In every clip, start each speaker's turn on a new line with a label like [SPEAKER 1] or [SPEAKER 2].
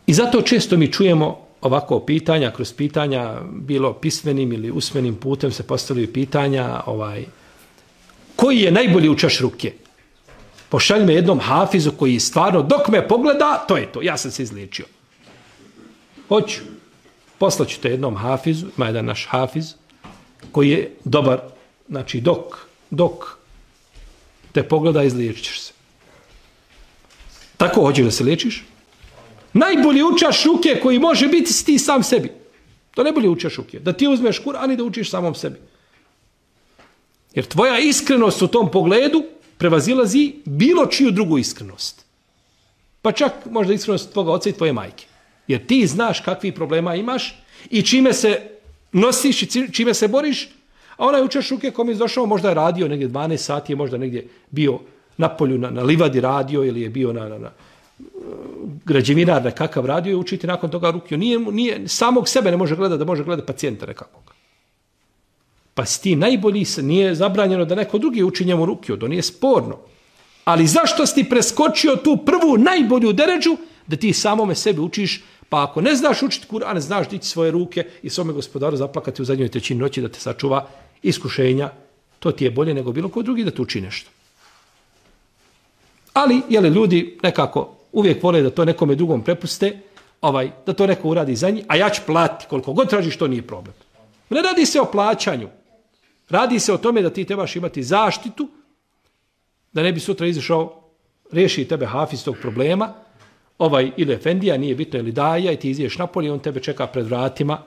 [SPEAKER 1] I zato često mi čujemo ovako pitanja, kroz pitanja, bilo pismenim ili usmenim putem se postavljaju pitanja, koji je najbolji učaš ruke? Pošalj me jednom hafizu koji stvarno, dok me pogleda, to je to, ja sam se izliječio. Hoću. Poslaću te jednom hafizu, ima jedan naš hafiz, koji je dobar, znači dok te pogleda, izliječit se. Tako hoćeš da se liječiš? Najbolji učaš ruke koji može biti si ti sam sebi. To najbolji učaš ruke. Da ti uzmeš Kur'an i da učiš samom sebi. Jer tvoja iskrenost u tom pogledu prevazilazi bilo čiju drugu iskrenost. Pa čak možda iskrenost tvoga oca i tvoje majke. Jer ti znaš kakvi problema imaš i čime se nosiš i čime se boriš, a onaj učaš ruke kom je došao, možda je radio negdje 12 sati, je možda negdje bio na polju, na livadi radio ili je bio na građevinar nekakav radio i učiti nakon toga rukiju. Nije, samog sebe ne može gledati, da može gledati pacijenta nekakvog. Pa si ti najbolji, nije zabranjeno da neko drugi uči njemu rukiju, to nije sporno. Ali zašto si ti preskočio tu prvu najbolju deređu da ti samome sebi učiš, pa ako ne znaš učiti Kur'an, znaš dići svoje ruke i svome gospodaru zaplakati u zadnjoj trećini noći da te sačuva iskušenja, to ti je bolje nego bilo ko drugi da te uči nešto. Ali, ljudi nekako uvijek vole da to nekome drugom prepuste, da to neko uradi za njih, a ja ću platiti koliko god tražiš, to nije problem. Ne radi se o plaćanju. Radi se o tome da ti trebaš imati zaštitu, da ne bi sutra izašao, riješi tebe hafiz tog problema, ili efendija, nije bitno, ili daja, i ti iziješ napolje, on tebe čeka pred vratima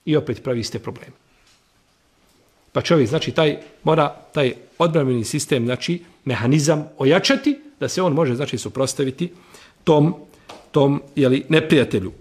[SPEAKER 1] i opet pravi iste probleme. Pa čovjek, znači, mora taj odbrambeni sistem, znači, mehanizam ojačati, da se on može, znači, suprotstaviti tom neprijatelju.